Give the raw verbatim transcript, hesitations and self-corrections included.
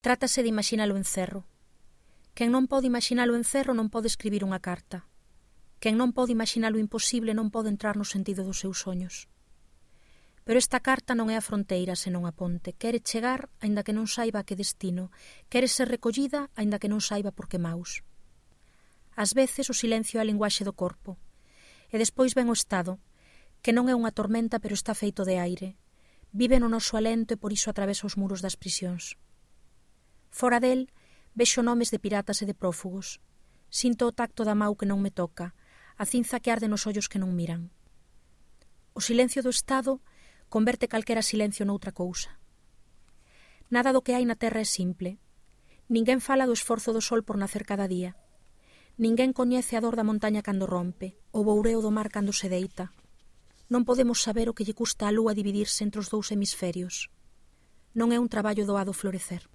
Trátase de imaxinalo en cerro. Quen non pode imaxinalo en cerro non pode escribir unha carta. Quen non pode imaxinalo imposible non pode entrar no sentido dos seus soños. Pero esta carta non é a fronteira senón a ponte. Quere chegar, aínda que non saiba a que destino. Quere ser recollida, aínda que non saiba por que maus. Ás veces o silencio é a linguaxe do corpo. E despois ven o estado, que non é unha tormenta pero está feito de aire. Vive no noso alento e por iso atravesa os muros das prisións. Fora del, vexo nomes de piratas e de prófugos. Sinto o tacto da mau que non me toca, a cinza que arde nos ollos que non miran. O silencio do estado converte calquera silencio noutra cousa. Nada do que hai na terra é simple. Ninguén fala do esforzo do sol por nacer cada día. Ninguén coñece a dor da montaña cando rompe, o boureo do mar cando se deita. Non podemos saber o que lle custa á lúa dividirse entre os dous hemisferios. Non é un traballo doado florecer.